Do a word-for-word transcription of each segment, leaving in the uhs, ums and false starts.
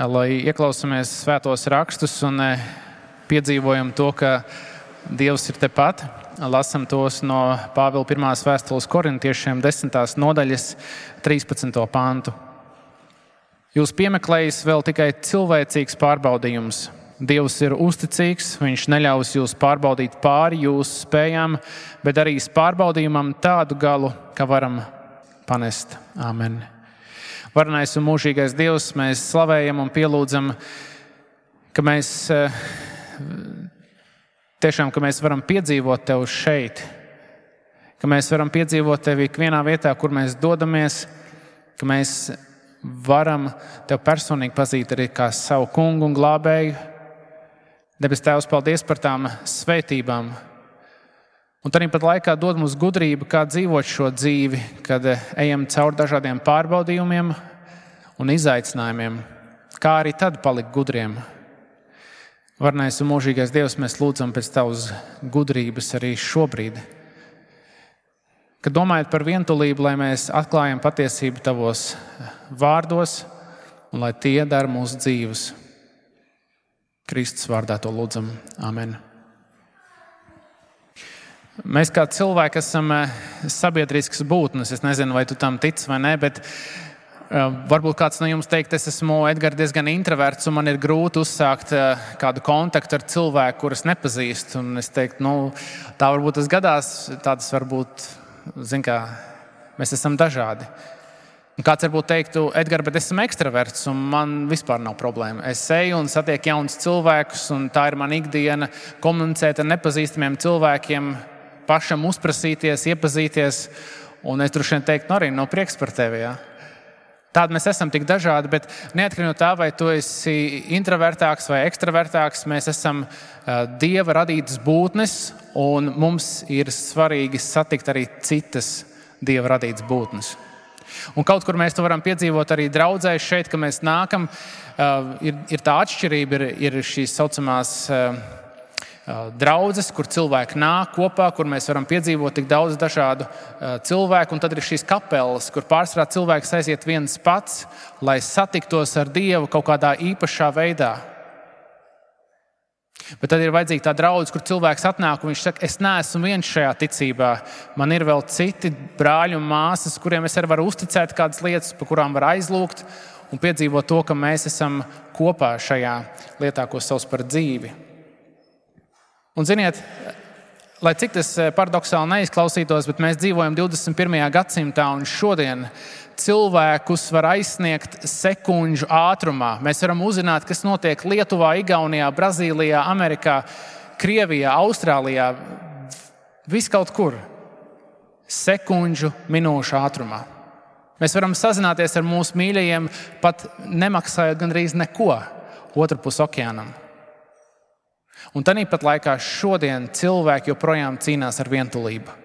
lai ieklausāmies svētos rakstus un piedzīvojam to, ka Dievs ir tepat. Lasam tos no Pāvila pirmās vēstules korintiešiem desmitās nodaļas trīspadsmito pantu. Jūs piemeklējis vēl tikai cilvēcīgs pārbaudījums. Dievs ir uzticīgs, viņš neļaus jūs pārbaudīt pāri jūsu spējām, bet darīs pārbaudījumam tādu galu, ka varam panest. Āmen. Varenais un mūžīgais Dievs, mēs slavējam un pielūdzam, ka mēs tiešām, ka mēs varam piedzīvot Tev šeit, ka mēs varam piedzīvot Tevi ikvienā vietā, kur mēs dodamies, ka mēs varam Tev personīgi pazīt arī kā savu kungu un glābēju. Debes Tēvs, paldies par tām svētībām. Un tad pat laikā dod mums gudrību, kā dzīvot šo dzīvi, kad ejam cauri dažādiem pārbaudījumiem un izaicinājumiem, kā arī tad palikt gudriem. Varenais un mūžīgais Dievs, mēs lūdzam pēc Tavas gudrības arī šobrīd. Kad domājat par vientulību, lai mēs atklājam patiesību Tavos vārdos un lai tie dara mūsu dzīves. Kristus vārdā to lūdzam. Amen. Mēs kā cilvēki esam sabiedriskas būtnes. Es nezinu, vai tu tam tici vai ne, bet uh, varbūt kāds no jums teikt, es esmu Edgars diezgan introverts un man ir grūti uzsākt uh, kādu kontaktu ar cilvēku, kurus nepazīstu. Un es teiktu, nu, tā varbūt tas gadās, tādas varbūt, zin kā, mēs esam dažādi. Un kāds varbūt teiktu, Edgars, bet esmu ekstraverts un man vispār nav problēma. Es eju un satieku jaunus cilvēkus un tā ir mana ikdiena komunicēt ar nepazīstamiem cilvēkiem, pašam uzprasīties, iepazīties, un es droši vien teiktu, nu arī nav prieks par tevi, jā. Tādi mēs esam tik dažādi, bet neatkarīgi no tā, vai tu esi introvertāks vai ekstravertāks, mēs esam uh, Dieva radītas būtnes, un mums ir svarīgi satikt arī citas Dieva radītas būtnes. Un kaut kur mēs to varam piedzīvot arī draudzē šeit, ka mēs nākam, uh, ir, ir tā atšķirība, ir, ir šīs saucamās uh, draudzes, kur cilvēki nāk kopā, kur mēs varam piedzīvot tik daudz dažādu uh, cilvēku, un tad ir šīs kapelas, kur pārsvarā cilvēks aiziet viens pats, lai satiktos ar Dievu kaut kādā īpašā veidā. Bet tad ir vajadzīga tā draudze, kur cilvēks atnāk un viņš saka, es neesmu viens šajā ticībā. Man ir vēl citi brāļi un māsas, kuriem es arī varu uzticēt kādas lietas, par kurām var aizlūgt un piedzīvot to, ka mēs esam kopā šajā lietā, ko sauc par dzīvi. Un ziniet, lai cik tas paradoksāli neizklausītos, bet mēs dzīvojam divdesmit pirmajā gadsimtā un šodien cilvēkus var aizsniegt sekundžu ātrumā. Mēs varam uzzināt, kas notiek Lietuvā, Igaunijā, Brazīlijā, Amerikā, Krievijā, Austrālijā, viskaut kur. Sekundžu minūšu ātrumā. Mēs varam sazināties ar mūsu mīļajiem, pat nemaksājot gandrīz neko otru pus okeānam. Un tāpat laikā šodien cilvēki joprojām cīnās ar vientulību.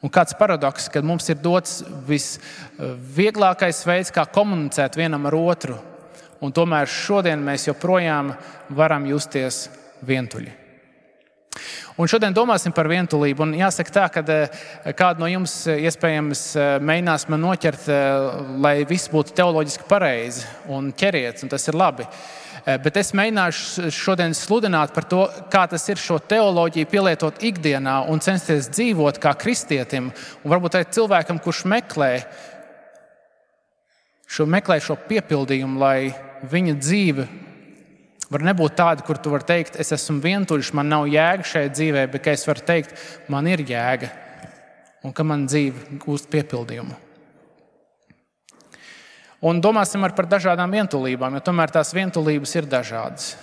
Un kāds paradoks, kad mums ir dots visvieglākais veids, kā komunicēt vienam ar otru, un tomēr šodien mēs joprojām varam justies vientuļi. Un šodien domāsim par vientulību, un jāsaka tā, ka kādu no jums iespējams mēģinās man noķert, lai viss būtu teoloģiski pareizi un ķeriet, un tas ir labi. Bet es mēģināšu šodien sludināt par to, kā tas ir šo teoloģiju pielietot ikdienā un censties dzīvot kā kristietim. Un varbūt arī cilvēkam, kurš meklē šo, meklē šo piepildījumu, lai viņa dzīve var nebūt tāda, kur tu vari teikt, es esmu vientuļš, man nav jēga šajā dzīvē, bet ka es varu teikt, man ir jēga un ka man dzīve gūst piepildījumu. Un domāsim arī par dažādām vientulībām, jo tomēr tās vientulības ir dažādas.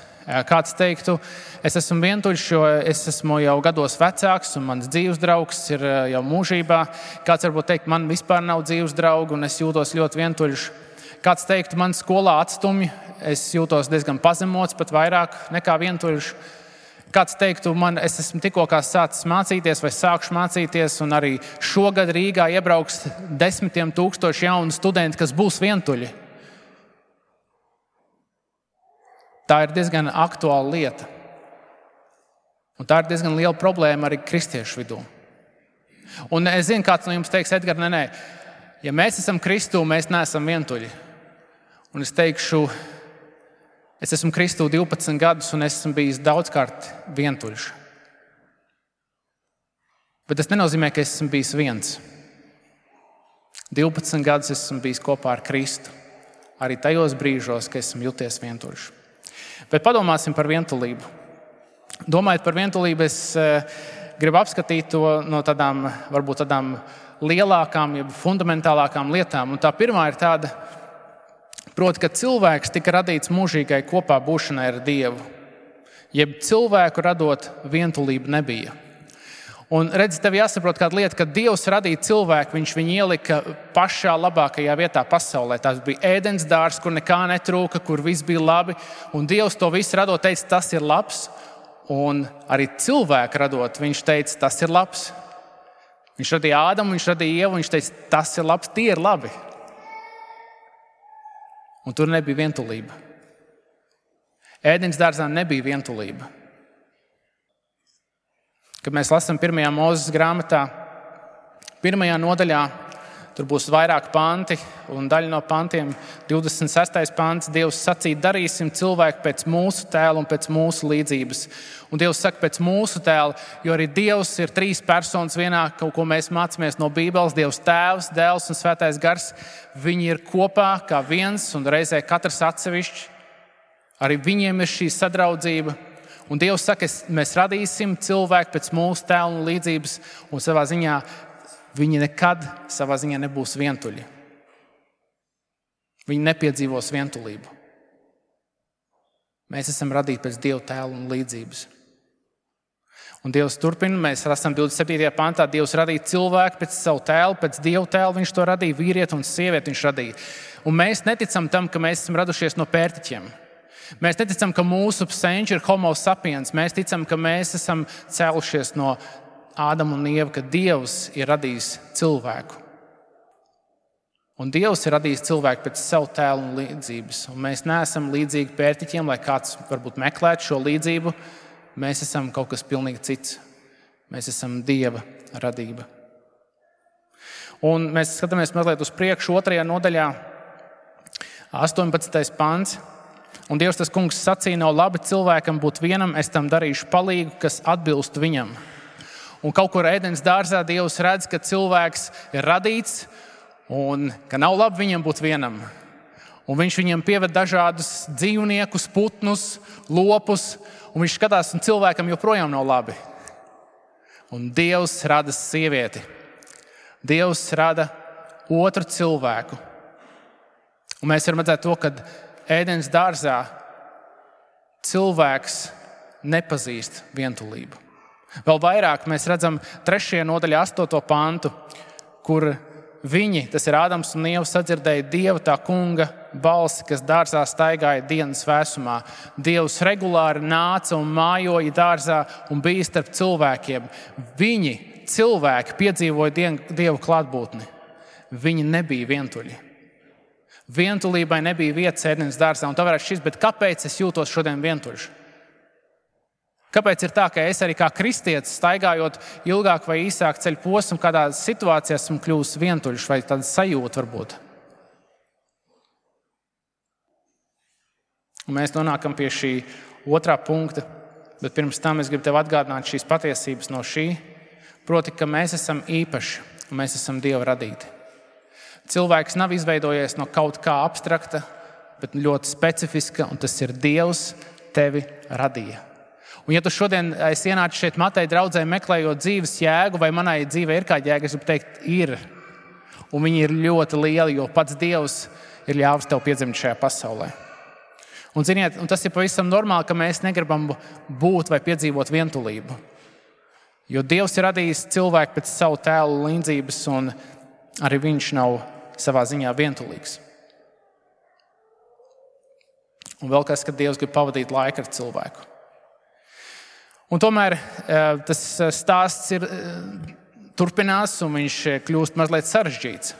Kāds teiktu, es esmu vientuļš, jo es esmu jau gados vecāks un mans dzīves draugs ir jau mūžībā. Kāds varbūt teikt, man vispār nav dzīves draugu un es jūtos ļoti vientuļš. Kāds teiktu, man skolā atstumj, es jūtos diezgan pazemots, pat vairāk nekā vientuļš. Kāds teiktu, man, es esmu tikko kā sācis mācīties vai sākšu mācīties, un arī šogad Rīgā iebrauks desmitiem tūkstoši jaunu studentu, kas būs vientuļi. Tā ir diezgan aktuāla lieta. Un tā ir diezgan liela problēma arī kristiešu vidū. Un es zinu, kāds no jums teiks, Edgars, nē, nē, ja mēs esam Kristū, mēs neesam vientuļi. Un es teikšu, es esmu Kristū divpadsmit gadus un esmu bijis daudzkārt vientuļš. Bet tas nenozīmē, ka es esmu bijis viens. divpadsmit gadus esmu bijis kopā ar Kristu. Arī tajos brīžos, ka esmu jūties vientuļš. Bet padomāsim par vientulību. Domājot par vientulību, es gribu apskatīt to no tādām, varbūt tādām lielākām, ja fundamentālākām lietām. Un tā pirmā ir tāda, proti, ka cilvēks tika radīts mūžīgai kopā būšanai ar Dievu. Jeb cilvēku radot vientulību nebija. Un redzi, tev jāsaprot kāda lieta, ka Dievs radīja cilvēku, viņš viņu ielika pašā labākajā vietā pasaulē. Tas bija ēdens dārzs, kur nekā netrūka, kur viss bija labi. Un Dievs to visu radot teica, tas ir labs. Un arī cilvēku radot, viņš teica, tas ir labs. Viņš radīja Ādamu, viņš radīja Ievu, viņš teica, tas ir labs, tie ir labi. Un tur nebija vientulība. Ēdens dārzā nebija vientulība. Kad mēs lasām pirmajā Mūzes grāmatā, pirmajā nodaļā, tur būs vairāk panti, un daļa no pantiem, divdesmit sestais pants, Dievs sacīja, darīsim cilvēku pēc mūsu tēla un pēc mūsu līdzības. Un Dievs saka pēc mūsu tēla, jo arī Dievs ir trīs personas vienā, ko mēs mācāmies no Bībeles, Dievs Tēvs, Dēls un Svētais Gars. Viņi ir kopā kā viens un reizē katrs atsevišķi. Arī viņiem ir šī sadraudzība. Un Dievs saka, mēs radīsim cilvēku pēc mūsu tēla un līdzības, un savā ziņā viņi nekad savā ziņā nebūs vientuļi. Viņi nepiedzīvos vientulību. Mēs esam radīti pēc Dieva tēla un līdzības. Un Dievs turpina, mēs lasām divdesmit septītajā pantā, Dievs radīja cilvēku pēc savu tēlu, pēc Dieva tēla, viņš to radīja, vīrieti un sievieti viņš radīja. Un mēs neticam tam, ka mēs esam radušies no pērtiķiem. Mēs neticam, ka mūsu senči ir homo sapiens. Mēs ticam, ka mēs esam cēlušies no Ādama un Ieva, ka Dievs ir radījis cilvēku. Un Dievs ir radījis cilvēku pēc savu tēlu un līdzības. Un mēs neesam līdzīgi pērtiķiem, lai kāds varbūt meklētu šo līdzību. Mēs esam kaut kas pilnīgi cits. Mēs esam Dieva radība. Un mēs skatāmies mazliet uz priekšu otrajā nodaļā, astoņpadsmitais pants. Un Dievs tas kungs sacīja, nav labi cilvēkam būt vienam, es tam darīšu palīgu, kas atbilst viņam. Un kaut kur ēdens dārzā Dievs redz, ka cilvēks ir radīts un ka nav labi viņam būt vienam. Un viņš viņam pieved dažādus dzīvniekus, putnus, lopus, un viņš skatās, un cilvēkam joprojām nav labi. Un Dievs rada sievieti. Dievs rada otru cilvēku. Un mēs varam redzēt to, ka ēdens dārzā cilvēks nepazīst vientulību. Vēl vairāk mēs redzam trešajā nodaļā astoto pantu, kur viņi, tas ir Ādams un Ieva, sadzirdēja Dieva tā kunga balsi, kas dārzā staigāja dienas vēsumā. Dievs regulāri nāca un mājoja dārzā un bija starp cilvēkiem. Viņi, cilvēki, piedzīvoja Dieva klātbūtni. Viņi nebija vientuļi. Vientulībai nebija vietas ēdens dārzā, un tā varētu šķist, bet kāpēc es jūtos šodien vientuļš? Kāpēc ir tā, ka es arī kā kristietis, staigājot ilgāk vai īsāk ceļu posmu, kādā situācijā esmu kļuvis vientuļš vai tāda sajūta varbūt? Un mēs nonākam pie šī otrā punkta, bet pirms tam es gribu tev atgādināt šīs patiesības no šī, proti, ka mēs esam īpaši un mēs esam Dieva radīti. Cilvēks nav izveidojies no kaut kā abstrakta, bet ļoti specifiska, un tas ir Dievs tevi radīja. Un ja tu šodien esi ienācis šeit Mateja draudzē meklējot dzīves jēgu, vai manai dzīvē ir kāda jēga, es gribu teikt, ir. Un viņi ir ļoti lieli, jo pats Dievs ir ļāvis tev piedzimt šajā pasaulē. Un ziniet, un tas ir pavisam normāli, ka mēs negribam būt vai piedzīvot vientulību. Jo Dievs ir radījis cilvēku pēc savu tēlu līdzības, un arī viņš nav savā ziņā vientulīgs. Un vēl kas, ka Dievs grib pavadīt laiku ar cilvēku. Un tomēr tas stāsts ir, turpinās, un viņš kļūst mazliet sarežģīts.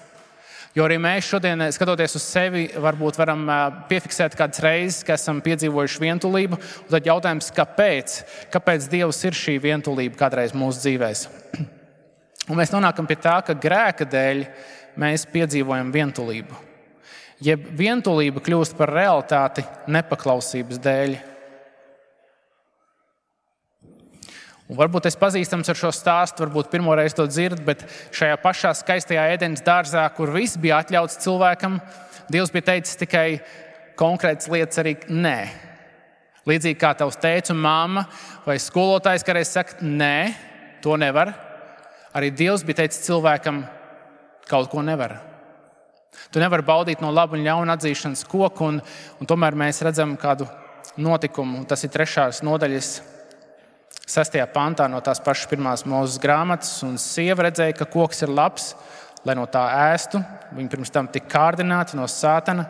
Jo arī mēs šodien, skatoties uz sevi, varbūt varam piefiksēt kādas reizes, ka esam piedzīvojuši vientulību. Un tad jautājums, kāpēc? Kāpēc Dievs ir šī vientulība kādreiz mūsu dzīvēs? Un mēs nonākam pie tā, ka grēka dēļ mēs piedzīvojam vientulību. jeb vientulība kļūst par realitāti nepaklausības dēļ. Un varbūt es pazīstams ar šo stāstu, varbūt pirmoreiz to dzird, bet šajā pašā skaistajā Ēdenes dārzā, kur viss bija atļauts cilvēkam, Dievs bija teicis tikai konkrētas lietas arī nē. Līdzīgi kā tavs tēvs un mamma vai skolotājs kādreiz saka, nē, to nevar. Arī Dievs bija teicis cilvēkam, kaut ko nevar. Tu nevari baudīt no laba un ļauna atzīšanas koku, un, un tomēr mēs redzam kādu notikumu. Tas ir trešās nodaļas sestajā pantā no tās pašas pirmās Mūzes grāmatas, un sieva redzēja, ka koks ir labs, lai no tā ēstu. Viņa pirms tam tika kārdināta no sātana.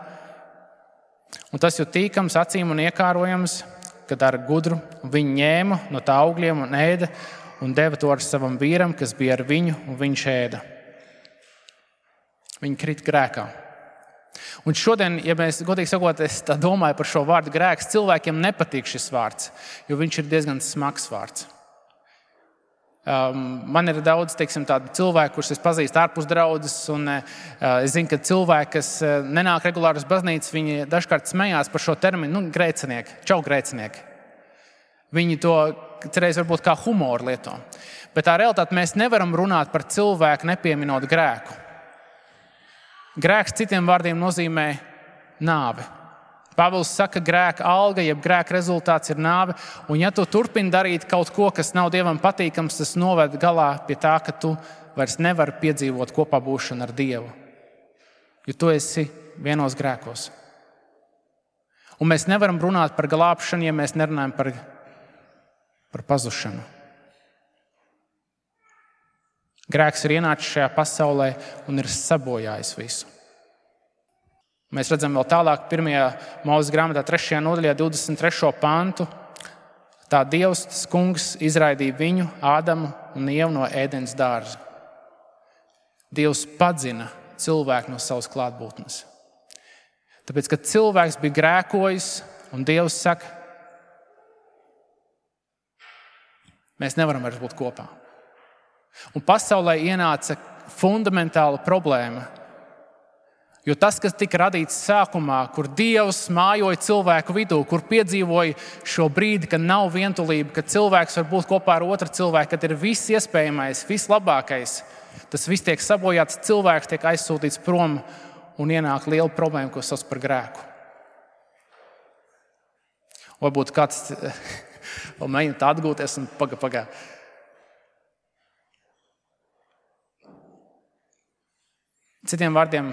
Un tas jau tīkams acīm un iekārojams, kad ar gudru viņi ņēma no tā augļiem un ēda un deva to ar savam vīram, kas bija ar viņu, un viņš ēda. Viņi krita grēkā. Un šodien, ja mēs godīgi sakot, es tā domāju par šo vārdu grēks, cilvēkiem nepatīk šis vārds, jo viņš ir diezgan smags vārds. Um, man ir daudz, teiksim, tādu cilvēku, kurus es pazīstu ārpus draudzes, un uh, es zinu, ka cilvēki, kas uh, nenāk regulāri uz baznīcu, viņi dažkārt smējās par šo terminu, nu, grēcinieki, čau grēcinieki. Viņi to cerēs varbūt kā humoru lieto. Bet tā realitāte mēs nevaram runāt par cilvēku nepieminot grēku. Grēks citiem vārdiem nozīmē nāvi. Pāvils saka, grēka alga, jeb grēka rezultāts ir nāve, un ja tu turpini darīt kaut ko, kas nav Dievam patīkams, tas noved galā pie tā, ka tu vairs nevari piedzīvot kopā būšanu ar Dievu, jo tu esi vienos grēkos. Un mēs nevaram runāt par glābšanu, ja mēs nerunājam par, par pazušanu. Grēks ir ienācis šajā pasaulē un ir sabojājis visu. Mēs redzam vēl tālāk pirmajā Mūzes grāmatā trešajā nodaļā divdesmit trešo pantu. Tā Dievs, tas kungs, izraidīja viņu, Ādamu un Ievu no Ēdenes dārza. Dievs padzina cilvēku no savas klātbūtnes. Tāpēc, kad cilvēks bija grēkojis un Dievs saka, mēs nevaram vairs būt kopā. Un pasaulē ienāca fundamentāla problēma. Jo tas, kas tika radīts sākumā, kur Dievs mājoja cilvēku vidū, kur piedzīvoja šo brīdi, kad nav vientulība, kad cilvēks var būt kopā ar otru cilvēku, kad ir viss iespējamais, viss labākais, tas viss tiek sabojāts, cilvēks tiek aizsūtīts prom un ienāk liela problēma, ko sauc par grēku. Varbūt kāds vēl mēģina tā atgūties un paga, paga. Citiem vārdiem,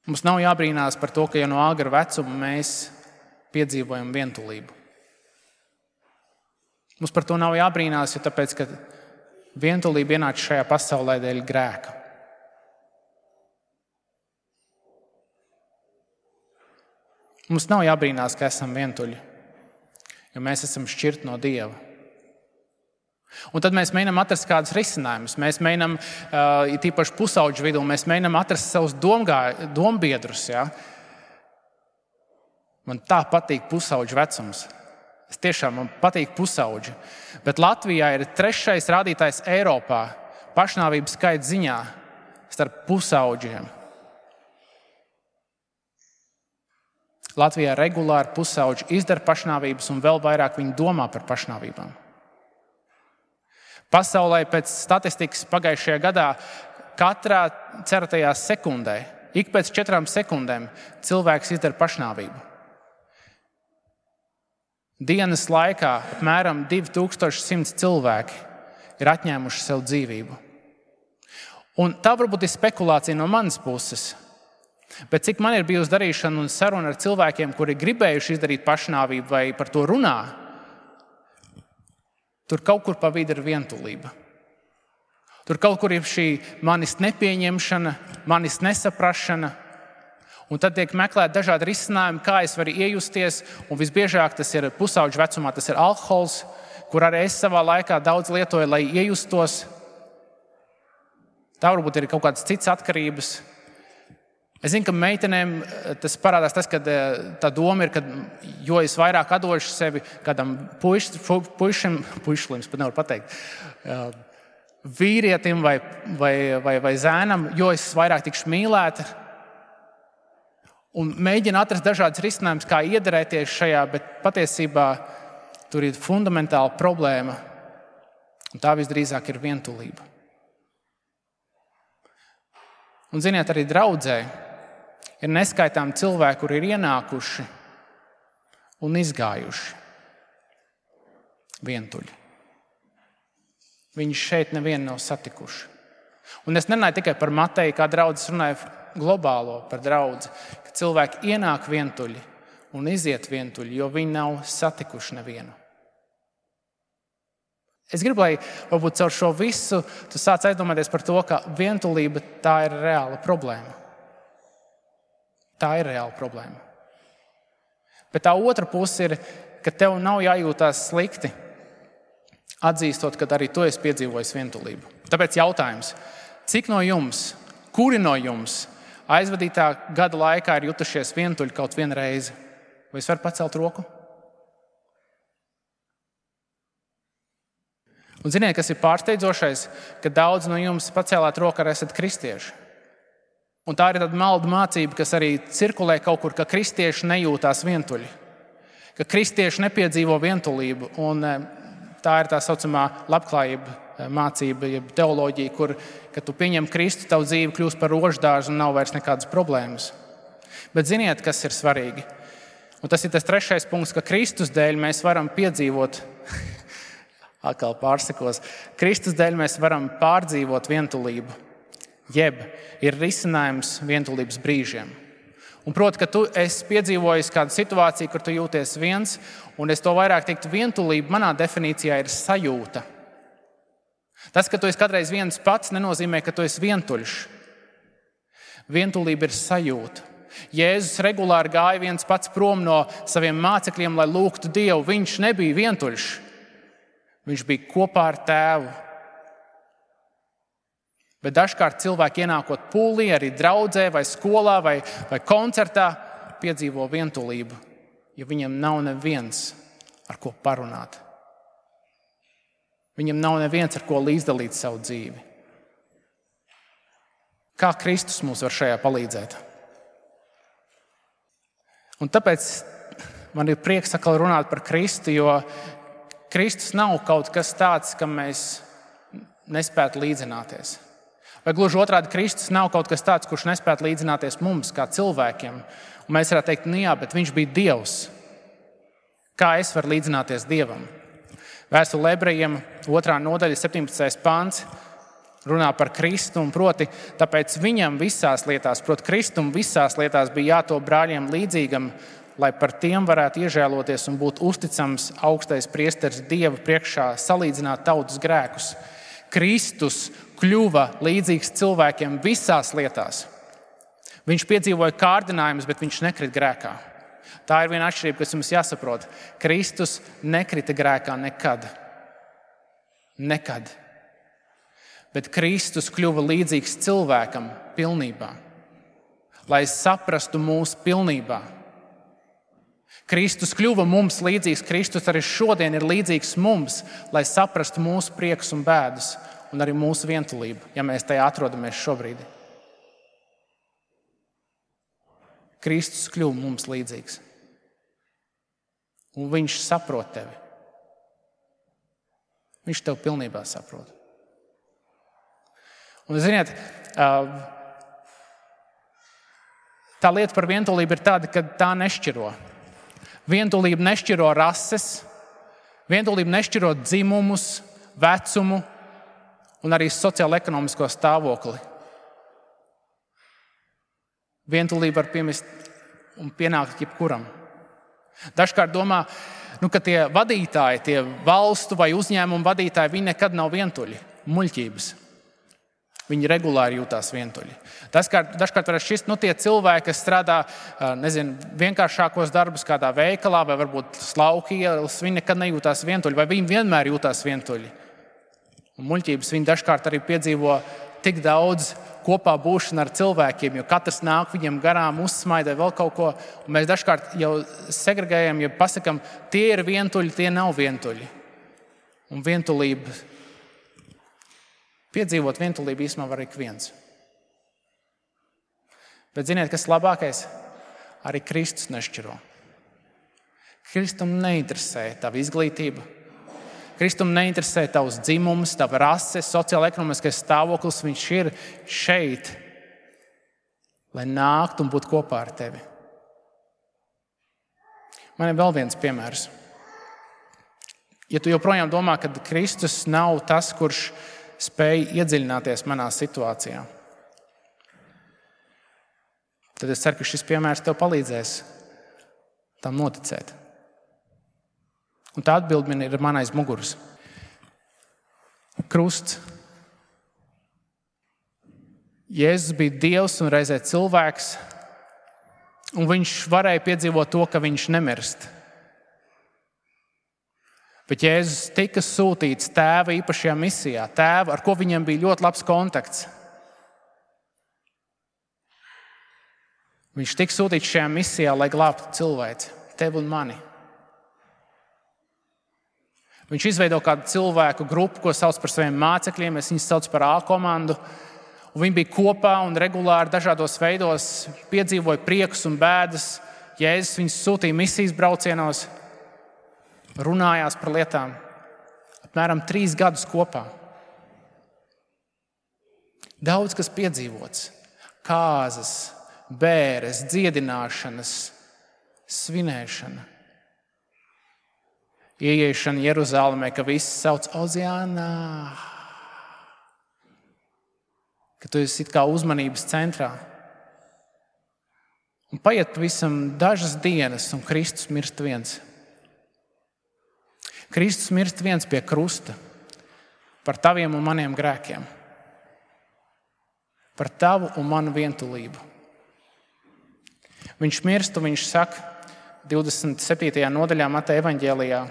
mums nav jābrīnās par to, ka jau no agra vecuma mēs piedzīvojam vientulību. Mums par to nav jābrīnās, jo tāpēc, ka vientulība ienāca šajā pasaulē dēļ grēka. Mums nav jābrīnās, ka esam vientuļi, jo mēs esam šķirti no Dieva. Un tad mēs mēģinām atrast kādus risinājumus. Mēs mēģinām, uh, tīpaši pusauģu vidū, mēs mēģinām atrast savus domgā, dombiedrus. Ja? Man tā patīk pusauģu vecums. Es tiešām man patīk pusauģi. Bet Latvijā ir trešais rādītājs Eiropā pašnāvības skaita ziņā starp pusauģiem. Latvijā regulāri pusauģi izdara pašnāvības un vēl vairāk viņi domā par pašnāvībām. Pasaulē pēc statistikas pagājušajā gadā katrā cerētajā sekundē, ik pēc četrām sekundēm cilvēks izdara pašnāvību. Dienas laikā apmēram divi tūkstoši simts cilvēki ir atņēmuši sev dzīvību. Un tā varbūt ir spekulācija no manas puses, bet cik man ir bijusi darīšana un saruna ar cilvēkiem, kuri gribējuši izdarīt pašnāvību vai par to runā, tur kaut kur pa vidu ir vientulība. Tur kaut kur ir šī manis nepieņemšana, manis nesaprašana. Un tad tiek meklēt dažādi risinājumi, kā es varu iejusties. Un visbiežāk tas ir pusauģu vecumā, tas ir alkohols, kur arī es savā laikā daudz lietoju, lai iejustos. Tā varbūt ir kaut kādas citas atkarības. Es zinu, ka meitenēm tas parādās tas, ka tā doma ir, ka jo es vairāk atdošu sevi kādam puiš, puišam, puišlim, es pat nevaru pateikt, vīrietim vai, vai, vai, vai zēnam, jo es vairāk tikšu mīlēta. Un mēģina atrast dažādas risinājumus, kā iederēties šajā, bet patiesībā tur ir fundamentāla problēma. Un tā visdrīzāk ir vientulība. Un ziniet, arī draudzē ir neskaitām cilvēki, kuri ir ienākuši un izgājuši vientuļi. Viņi šeit nevienu nav satikuši. Un es nerunāju tikai par Mateju, kā draudzes, runāju globālo par draudzi, ka cilvēki ienāk vientuļi un iziet vientuļi, jo viņi nav satikuši nevienu. Es gribu, lai varbūt caur šo visu tu sāc aizdomāties par to, ka vientulība tā ir reāla problēma. Tā ir reāla problēma. Bet tā otra puse ir, ka tev nav jājūtās slikti, atzīstot, ka arī tu esi piedzīvojis vientulību. Tāpēc jautājums, cik no jums, kuri no jums aizvadītā gada laikā ir jutušies vientuļi kaut vienu reizi? Vai es varu pacelt roku? Un ziniet, kas ir pārsteidzošais, ka daudz no jums pacēlāt roku, arī esat kristieši. Un tā ir tāda maldu mācība, kas arī cirkulē kaut kur, ka kristieši nejūtās vientuļi. Ka kristieši nepiedzīvo vientulību. Un tā ir tā saucamā labklājība mācība, jeb teoloģija, kur, kad tu pieņem Kristu, tavu dzīve kļūst par roždārzu un nav vairs nekādas problēmas. Bet ziniet, kas ir svarīgi? Un tas ir tas trešais punkts, ka Kristus dēļ mēs varam piedzīvot atkal pārsakos. Kristus dēļ mēs varam pārdzīvot vientulību, jeb ir risinājums vientulības brīžiem. Un proti, ka tu esi piedzīvojis kādu situāciju, kur tu jūties viens, un es to vairāk teiktu, vientulība manā definīcijā ir sajūta. Tas, ka tu esi kādreiz viens pats, nenozīmē, ka tu esi vientuļš. Vientulība ir sajūta. Jēzus regulāri gāja viens pats prom no saviem mācekļiem, lai lūgtu Dievu. Viņš nebija vientuļš. Viņš bija kopā ar Tēvu. Bet dažkārt cilvēki ienākot pūlī, arī draudzē, vai skolā, vai, vai koncertā, piedzīvo vientulību, jo viņam nav neviens, ar ko parunāt. Viņam nav neviens, ar ko līdzdalīt savu dzīvi. Kā Kristus mums var šajā palīdzēt? Un tāpēc man ir prieks atkal runāt par Kristu, jo Kristus nav kaut kas tāds, kam mēs nespētu līdzināties. Vai gluži otrādi, Kristus nav kaut kas tāds, kurš nespētu līdzināties mums, kā cilvēkiem. Un mēs varētu teikt, nu jā, bet viņš bija Dievs. Kā es varu līdzināties Dievam? Vēstule Ebrejiem, otrā nodaļa, septiņpadsmitais pants, runā par Kristu, un proti, tāpēc viņam visās lietās, proti Kristum visās lietās bija jātop brāļiem līdzīgam, lai par tiem varētu iežēloties un būt uzticams augstais priesteris Dieva priekšā, salīdzināt tautas grēkus. Kristus kļuva līdzīgs cilvēkiem visās lietās. Viņš piedzīvoja kārdinājumus, bet viņš nekrita grēkā. Tā ir viena atšķirība, kas jums jāsaprot. Kristus nekrita grēkā nekad. Nekad. Bet Kristus kļuva līdzīgs cilvēkam pilnībā, lai saprastu mūs pilnībā. Kristus kļuva mums līdzīgs, Kristus arī šodien ir līdzīgs mums, lai saprastu mūsu priekus un bēdas un arī mūsu vientulību, ja mēs tajā atrodamies šobrīd. Kristus kļuva mums līdzīgs. Un viņš saprot tevi. Viņš tev pilnībā saprot. Un ziniet, tā lieta par vientulību ir tāda, ka tā nešķiro. Vientulība nešķiro rases, vientulība nešķiro dzimumus, vecumu un arī sociālo-ekonomisko stāvokli. Vientulība var piemest un pienākt jebkuram. Dažkārt domā, nu, ka tie vadītāji, tie valstu vai uzņēmumu vadītāji, viņi nekad nav vientuļi, muļķības. Viņi regulāri jūtās vientuļi. Dažkārt, dažkārt var šķist, nu, tie cilvēki, kas strādā, nezinu, vienkāršākos darbus kādā veikalā vai varbūt slauku ielas, viņi nekad nejūtās vientuļi, vai viņi vienmēr jūtās vientuļi. Un muļķības viņi dažkārt arī piedzīvo tik daudz kopā būšana ar cilvēkiem, jo katrs nāk viņam garām, uzsmaida vēl kaut ko. Un mēs dažkārt jau segregējam, ja pasakam, tie ir vientuļi, tie nav vientuļi. Un vientulība, piedzīvot vientulību īstenībā var ik viens. Bet ziniet, kas labākais? Arī Kristus nešķiro. Kristum neinteresē tava izglītība. Kristum neinteresē tavs dzimums, tava rase, sociāla-ekonomiskais stāvoklis. Viņš ir šeit, lai nāktu un būtu kopā ar tevi. Man ir vēl viens piemērs. Ja tu joprojām domā, ka Kristus nav tas, kurš spēj iedziļināties manā situācijā, tad es ceru, ka šis piemērs tev palīdzēs tam noticēt. Un tā atbilde man ir man aiz muguras. Krusts. Jēzus bija Dievs un reizē cilvēks, un viņš varēja piedzīvot to, ka viņš nemirst. Bet Jēzus tika sūtīts Tēva īpašajā misijā. Tēva, ar ko viņam bija ļoti labs kontakts. Viņš tika sūtīts šajā misijā, lai glābtu cilvēci, tevi un mani. Viņš izveido kādu cilvēku grupu, ko sauc par saviem mācekļiem. Es viņus saucu par A komandu. Un viņi bija kopā un regulāri dažādos veidos piedzīvoja priekus un bēdas. Jēzus viņus sūtīja misijas braucienos, runājās par lietām. Apmēram trīs gadus kopā. Daudz kas piedzīvots. Kāzas, bēres, dziedināšanas, svinēšana. Ieiešana Jeruzālēmē, ka visi sauc Oziānā. Ka tu esi it kā uzmanības centrā. Un paiet pavisam dažas dienas, un Kristus mirst viens. Kristus mirst viens pie krusta par taviem un maniem grēkiem. Par tavu un manu vientulību. Viņš mirst, un viņš saka divdesmit septītajā nodaļā Mateja evaņģēlijā: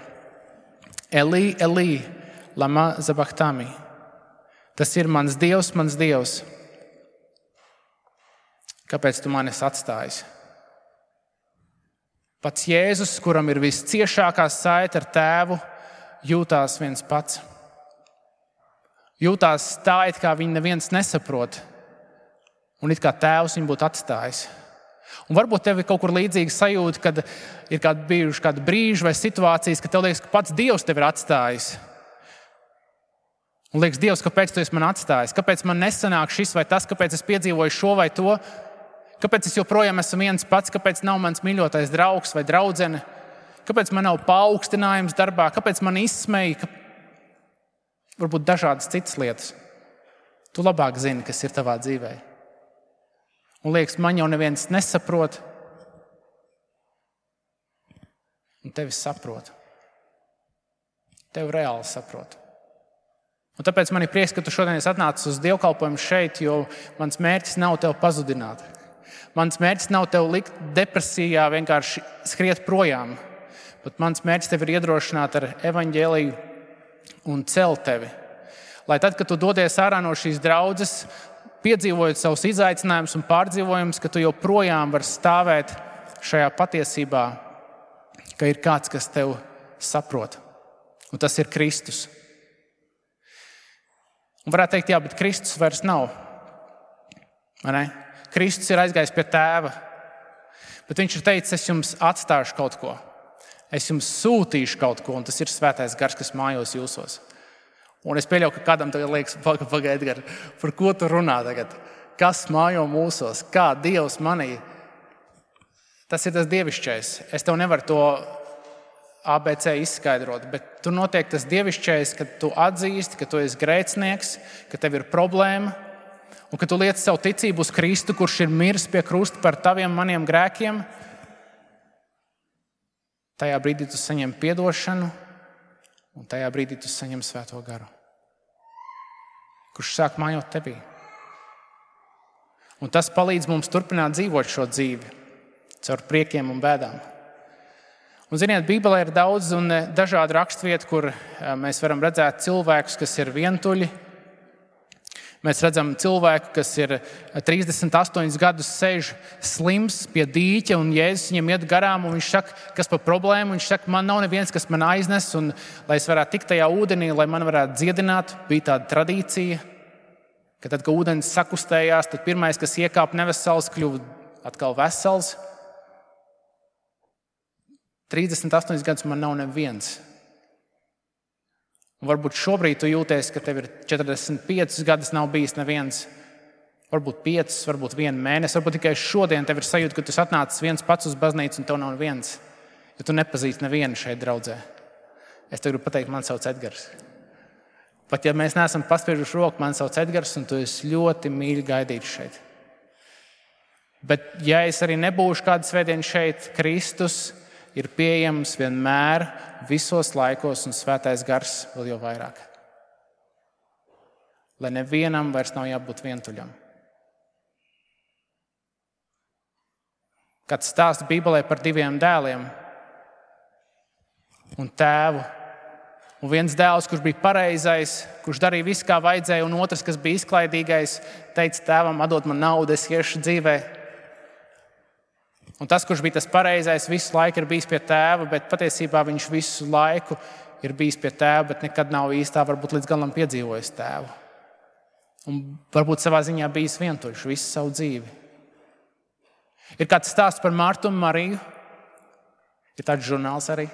Elī, Elī, lama sabachthani. Tas ir mans Dievs, mans Dievs. Kāpēc tu mani esi atstājis? Pats Jēzus, kuram ir visciešākā saite ar Tēvu, jūtās viens pats. Jūtās tā, it kā viņu neviens nesaprot, un it kā Tēvs viņu būtu atstājis. Un varbūt tev ir kaut kur līdzīga sajūta, kad ir kādi bijuši kādi brīži vai situācijas, kad tev liekas, ka pats Dievs tevi ir atstājis. Un liekas, Dievs, kāpēc tu esi man atstājis? Kāpēc man nesanāk šis vai tas? Kāpēc es piedzīvoju šo vai to? Kāpēc es joprojām esmu viens pats? Kāpēc nav mans mīļotais draugs vai draudzene? Kāpēc man nav paaugstinājums darbā? Kāpēc man izsmeja? Ka... Varbūt dažādas citas lietas. Tu labāk zini, kas ir tavā dzīvē. Un liekas, man jau neviens nesaprot. Un tevi saprot. Tevi reāli saprot. Un tāpēc man ir prieks, ka tu šodien esi atnācis uz dievkalpojumu šeit, jo mans mērķis nav tevi pazudināt. Mans mērķis nav tevi likt depresijā, vienkārši skriet projām. Bet mans mērķis tevi ir iedrošināt ar evaņģēliju un celt tevi. Lai tad, kad tu dodies ārā no šīs draudzes, piedzīvojot savus izaicinājumus un pārdzīvojumus, ka tu joprojām vari stāvēt šajā patiesībā, ka ir kāds, kas tev saprot. Un tas ir Kristus. Un varētu teikt, jā, bet Kristus vairs nav. Vai ne? Kristus ir aizgājis pie Tēva. Bet viņš ir teicis, es jums atstāšu kaut ko. Es jums sūtīšu kaut ko, un tas ir Svētais Gars, kas mājos jūsos. Un es pieļauju, ka kādam tagad liekas, pagaid, Edgar, par ko tu runā tagad? Kas mājo mūsos? Kā Dievs manī? Tas ir tas dievišķais. Es tev nevaru to A B C izskaidrot, bet tur notiek tas dievišķais, ka tu atzīsti, ka tu esi grēcinieks, ka tev ir problēma, un ka tu liec savu ticību uz Kristu, kurš ir miris pie krusta par taviem maniem grēkiem. Tajā brīdī tu saņem piedošanu, un tajā brīdī tu saņem Svēto Garu, kurš sāk mājot tevī. Un tas palīdz mums turpināt dzīvot šo dzīvi caur priekiem un bēdām. Un, ziniet, Bībelē ir daudz un dažādi raksturvieti, kur mēs varam redzēt cilvēkus, kas ir vientuļi. Mēs redzam cilvēku, kas ir trīsdesmit astoņus gadus sēž slims pie dīķa, un Jēzus viņam iet garām, un viņš saka, kas par problēmu. Viņš saka, man nav neviens, kas man aiznes, un lai es varētu tikt tajā ūdenī, lai man varētu dziedināt. Bija tāda tradīcija, ka tad, kad ūdens sakustējās, tad pirmais, kas iekāpa nevesels, kļuva atkal vesels. trīsdesmit astoņus gadus man nav neviens. Un varbūt šobrīd tu jūties, ka tev ir četrdesmit piecus gadus nav bijis neviens. Varbūt piecus, varbūt vienu mēnesi, varbūt tikai šodien tev ir sajūta, ka tu esi atnācis viens pats uz baznīcu un tev nav neviens. Jo tu nepazīsti nevienu šeit draudzē. Es tev gribu pateikt, man sauc Edgars. Pat ja mēs neesam paspiežuši roku, man sauc Edgars un tu esi ļoti mīļi gaidīts šeit. Bet ja es arī nebūšu kādu svētdienu šeit, Kristus ir pieejams vienmēr, visos laikos un svētais gars vēl jau vairāk. Lai nevienam vairs nav jābūt vientuļam. Kāds stāsta Bībelē par diviem dēliem un tēvu. Un viens dēls, kurš bija pareizais, kurš darīja visu, kā vajadzēja, un otrs, kas bija izklaidīgais, teica tēvam, atdod man naudu, es iešu dzīvē. Un tas, kurš bija tas pareizais, visu laiku ir bijis pie tēva, bet patiesībā viņš visu laiku ir bijis pie tēva, bet nekad nav īstā, varbūt līdz galam piedzīvojis tēvu. Un varbūt savā ziņā bijis vientuļš visu savu dzīvi. Ir kāds stāsts par Martu un Mariju. Ir tāds žurnāls arī.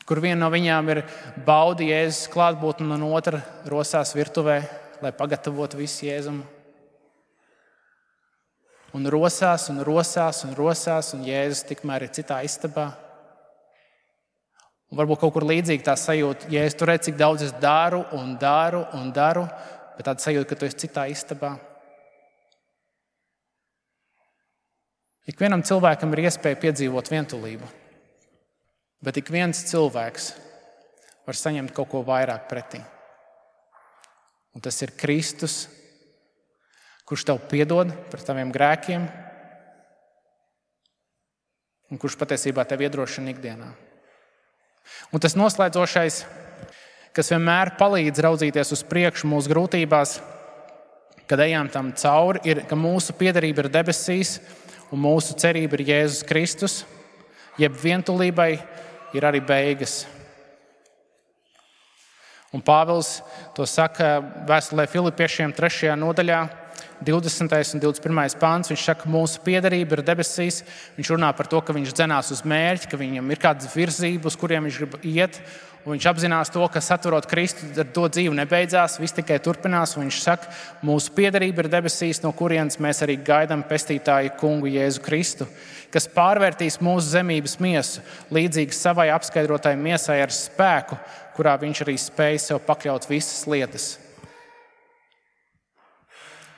Kur viena no viņām ir baudi Jēzus klātbūtni un otra rosās virtuvē, lai pagatavotu visu Jēzumu. Un rosās un rosās un rosās, un Jēzus tikmēr ir citā istabā. Un varbūt kaut kur līdzīgi tā sajūta, Jēzus, tu redz, cik daudz es daru un daru un daru, bet tāda sajūta, ka tu esi citā istabā. Ikvienam cilvēkam ir iespēja piedzīvot vientulību. Bet ik viens cilvēks var saņemt kaut ko vairāk pretī. Un tas ir Kristus, kurš tev piedod par taviem grēkiem un kurš patiesībā tev iedrošina ikdienā. Un tas noslēdzošais, kas vienmēr palīdz raudzīties uz priekšu mūsu grūtībās, kad ejam tam cauri, ir, ka mūsu piederība ir debesīs un mūsu cerība ir Jēzus Kristus, jeb vientulībai ir arī beigas. Un Pāvils to saka vēstulē Filipiešiem trešajā nodaļā, divdesmitais un divdesmit pirmais pāns. Viņš saka, mūsu piederība ir debesīs. Viņš runā par to, ka viņš dzenās uz mērķi, ka viņam ir kādas virzības, uz kuriem viņš grib iet. Un viņš apzinās to, ka saturot Kristu, ar to dzīve nebeidzās, viss tikai turpinās. Un viņš saka, mūsu piederība ir debesīs, no kurienes mēs arī gaidām pestītāju kungu Jēzu Kristu, kas pārvērtīs mūsu zemības miesu līdzīgi savai apskaidrotai miesai ar spēku, kurā viņš arī spēja sev pakļaut visas lietas.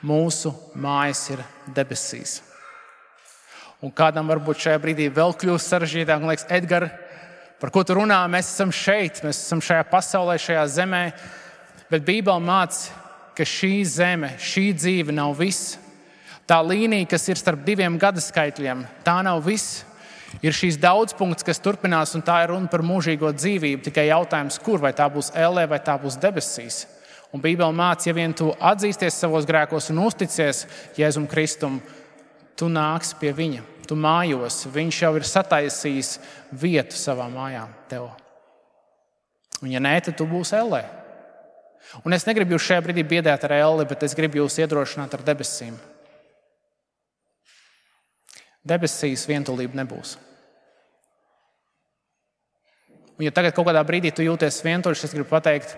Mūsu mājas ir debesīs. Un kādam varbūt šajā brīdī vēl kļūst sarežģītāk, un liekas, Edgar, par ko tu runā? Mēs esam šeit, mēs esam šajā pasaulē, šajā zemē, bet Bībele māca, ka šī zeme, šī dzīve nav viss. Tā līnija, kas ir starp diviem gada skaitļiem, tā nav viss. Ir šīs daudzpunkts, kas turpinās, un tā ir runa par mūžīgo dzīvību. Tikai jautājums, kur, vai tā būs ellē, vai tā būs debesīs. Un Bībele māca, ja vien tu atzīsties savos grēkos un uzticies Jēzum Kristum, tu nāksi pie viņa, tu mājos. Viņš jau ir sataisījis vietu savā mājā tev. Un ja nē, tad tu būsi ellē. Un es negribu jūs šajā brīdī biedēt ar elli, bet es gribu jūs iedrošināt ar debesīm. Debesīs vientulība nebūs. Un ja tagad kaut kādā brīdī tu jūties vientuļš, es gribu pateikt,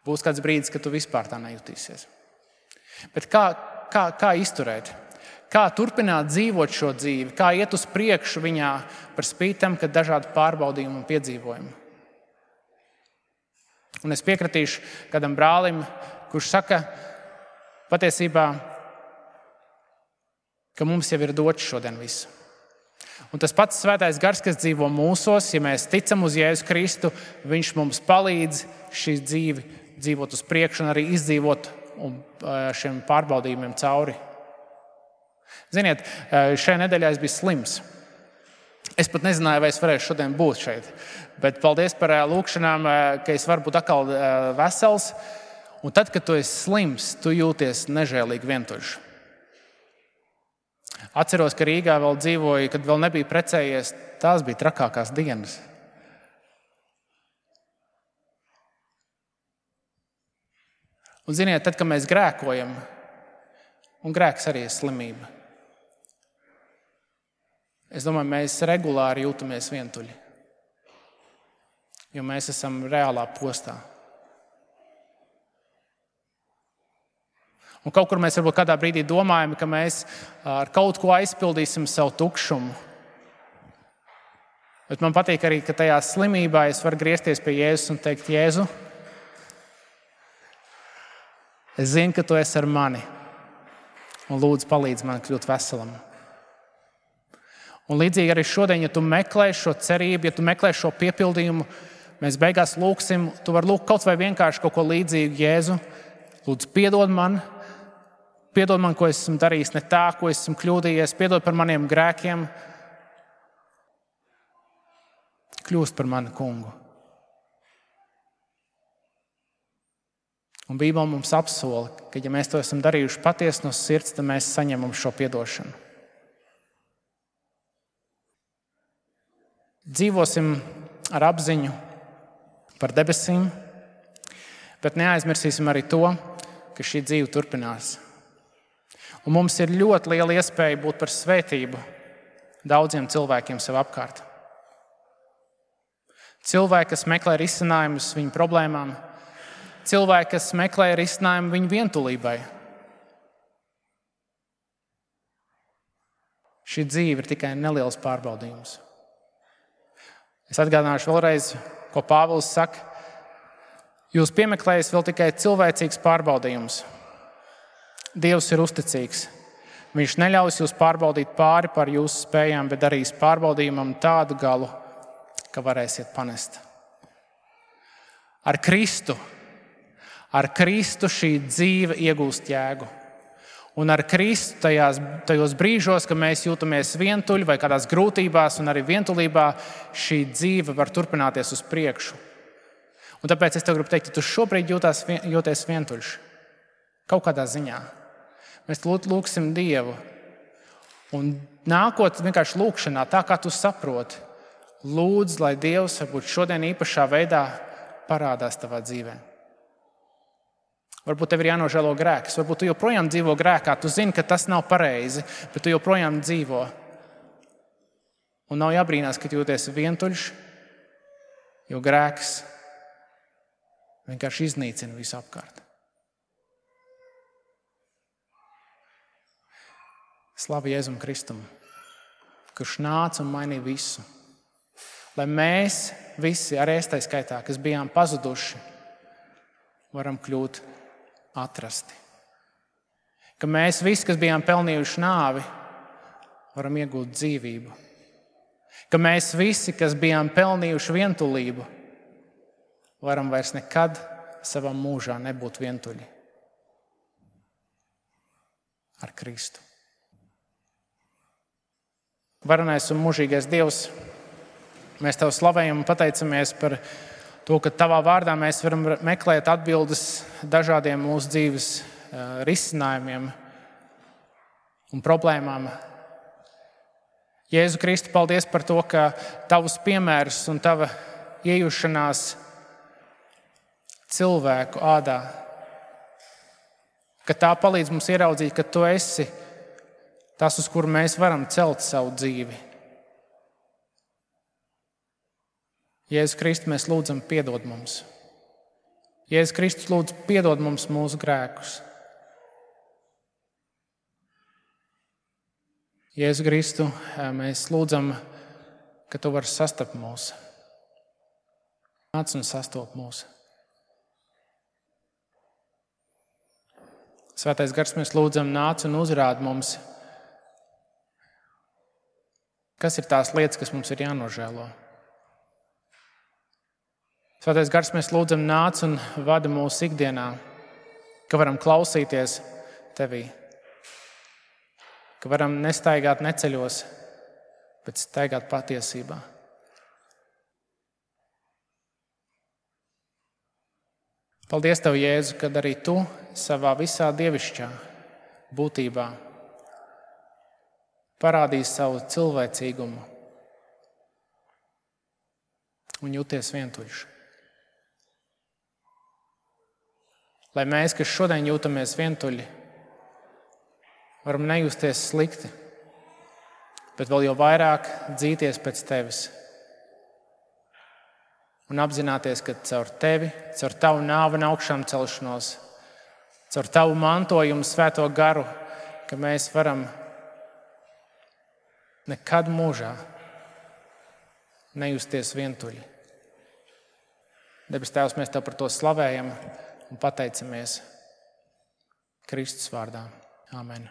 būs kāds brīdis, kad tu vispār tā nejutīsies. Bet kā, kā, kā izturēt? Kā turpināt dzīvot šo dzīvi? Kā iet uz priekšu viņā par spītam, kad dažādi pārbaudījumi un piedzīvojumi? Un es piekritīšu kādam brālim, kurš saka patiesībā, ka mums jau ir dots šodien visu. Un tas pats svētais gars, kas dzīvo mūsos, ja mēs ticam uz Jēzu Kristu, viņš mums palīdz šī dzīvi dzīvot uz priekšu un arī izdzīvot šiem pārbaudījumiem cauri. Ziniet, šajā nedēļā es biju slims. Es pat nezināju, vai es varēšu šodien būt šeit. Bet paldies par lūkšanām, ka es varu būt atkal vesels. Un tad, kad tu esi slims, tu jūties nežēlīgi vientuļš. Atceros, ka Rīgā vēl dzīvoju, kad vēl nebija precējies. Tās bija trakākās dienas. Un ziniet, tad, kad mēs grēkojam, Un grēks arī ir slimība. Es domāju, mēs regulāri jūtamies vientuļi, jo mēs esam reālā postā. Un kaut kur mēs varbūt kādā brīdī domājam, ka mēs ar kaut ko aizpildīsim savu tukšumu. Bet man patīk arī, ka tajā slimībā es varu griezties pie Jēzus un teikt, Jēzu, es zinu, ka tu esi ar mani, un lūdzu palīdz man kļūt veselam. Un līdzīgi arī šodien, ja tu meklē šo cerību, ja tu meklē šo piepildījumu, mēs beigās lūksim, tu vari lūgt kaut vai vienkārši kaut ko līdzīgu, Jēzu, lūdzu piedod man, piedod man, ko esmu darījis ne tā, ko esmu kļūdījies, piedod par maniem grēkiem, kļūst par mani kungu. Un Bībele mums apsola, ka ja mēs to esam darījuši patiesi no sirds, tad mēs saņemam šo piedošanu. Dzīvosim ar apziņu par debesīm, bet neaizmirsīsim arī to, ka šī dzīve turpinās. Un mums ir ļoti liela iespēja būt par svētību daudziem cilvēkiem sev apkārt. Cilvēki, kas meklē risinājumus viņu problēmām, cilvēki, kas meklē risinājumu viņu vientulībai. Šī dzīve ir tikai neliels pārbaudījums. Es atgādināšu vēlreiz, ko Pāvils saka. Jūs piemeklējat vēl tikai cilvēcīgs pārbaudījums. Dievs ir uzticīgs. Viņš neļaus jūs pārbaudīt pāri par jūsu spējām, bet darīs pārbaudījumam tādu galu, ka varēsiet panest. Ar Kristu, ar Kristu šī dzīve iegūst jēgu. Un ar Kristu tajās, tajos brīžos, kad mēs jūtamies vientuļi vai kādās grūtībās un arī vientulībā, šī dzīve var turpināties uz priekšu. Un tāpēc es tev gribu teikt, ka tu šobrīd jūtās, jūties vientuļš. Kaut kādā ziņā. Mēs lūgsim Dievu. Un nākot vienkārši lūgšanā, tā kā tu saproti, lūdz, lai Dievs varbūt šodien īpašā veidā parādās tavā dzīvē. Varbūt tev ir jānožēlo grēks, varbūt tu joprojām dzīvo grēkā, tu zini, ka tas nav pareizi, bet tu joprojām dzīvo. Un nav jābrīnās, ka jūties vientuļš, jo grēks vienkārši iznīcina visu apkārt. Slavu Jēzum Kristum, kurš nāca un mainīja visu. Lai mēs visi, arī es tai skaitā, kas bijām pazuduši, varam kļūt atrasti. Ka mēs visi, kas bijām pelnījuši nāvi, varam iegūt dzīvību. Ka mēs visi, kas bijām pelnījuši vientulību, varam vairs nekad savā mūžā nebūt vientuļi. Ar Kristu. Varenais un mūžīgais Dievs, mēs Tev slavējam un pateicamies par to, ka Tavā vārdā mēs varam meklēt atbildes dažādiem mūsu dzīves risinājumiem un problēmām. Jēzu Kristu, paldies par to, ka Tavus piemērus un Tava iejušanās cilvēku ādā, ka tā palīdz mums ieraudzīt, ka Tu esi tas, uz kuru mēs varam celt savu dzīvi. Jēzus Kristus, mēs lūdzam, piedod mums. Jēzus Kristus, lūdzu, piedod mums mūsu grēkus. Jēzus Kristu, mēs lūdzam, ka Tu vari sastapt mūs. Nāc un sastop mūs. Svētais Gars, mēs lūdzam, nāc un uzrād mums, kas ir tās lietas, kas mums ir jānožēlo. Svētais Gars, mēs lūdzam, nāc un vada mūsu ikdienā, ka varam klausīties Tevī, ka varam nestaigāt neceļos, bet staigāt patiesībā. Paldies Tev, Jēzu, kad arī Tu savā visā dievišķā būtībā parādīji savu cilvēcīgumu un jūties vientuļš. Lai mēs, kas šodien jūtamies vientuļi, varam nejusties slikti, bet vēl jau vairāk dzīties pēc tevis. Un apzināties, ka caur tevi, caur tavu nāvi un augšām celšanos, caur tavu mantojumu, svēto garu, ka mēs varam nekad mūžā nejusties vientuļi. Debes Tēvs, mēs Tev par to slavējam un pateicamies Kristus vārdā. Āmen.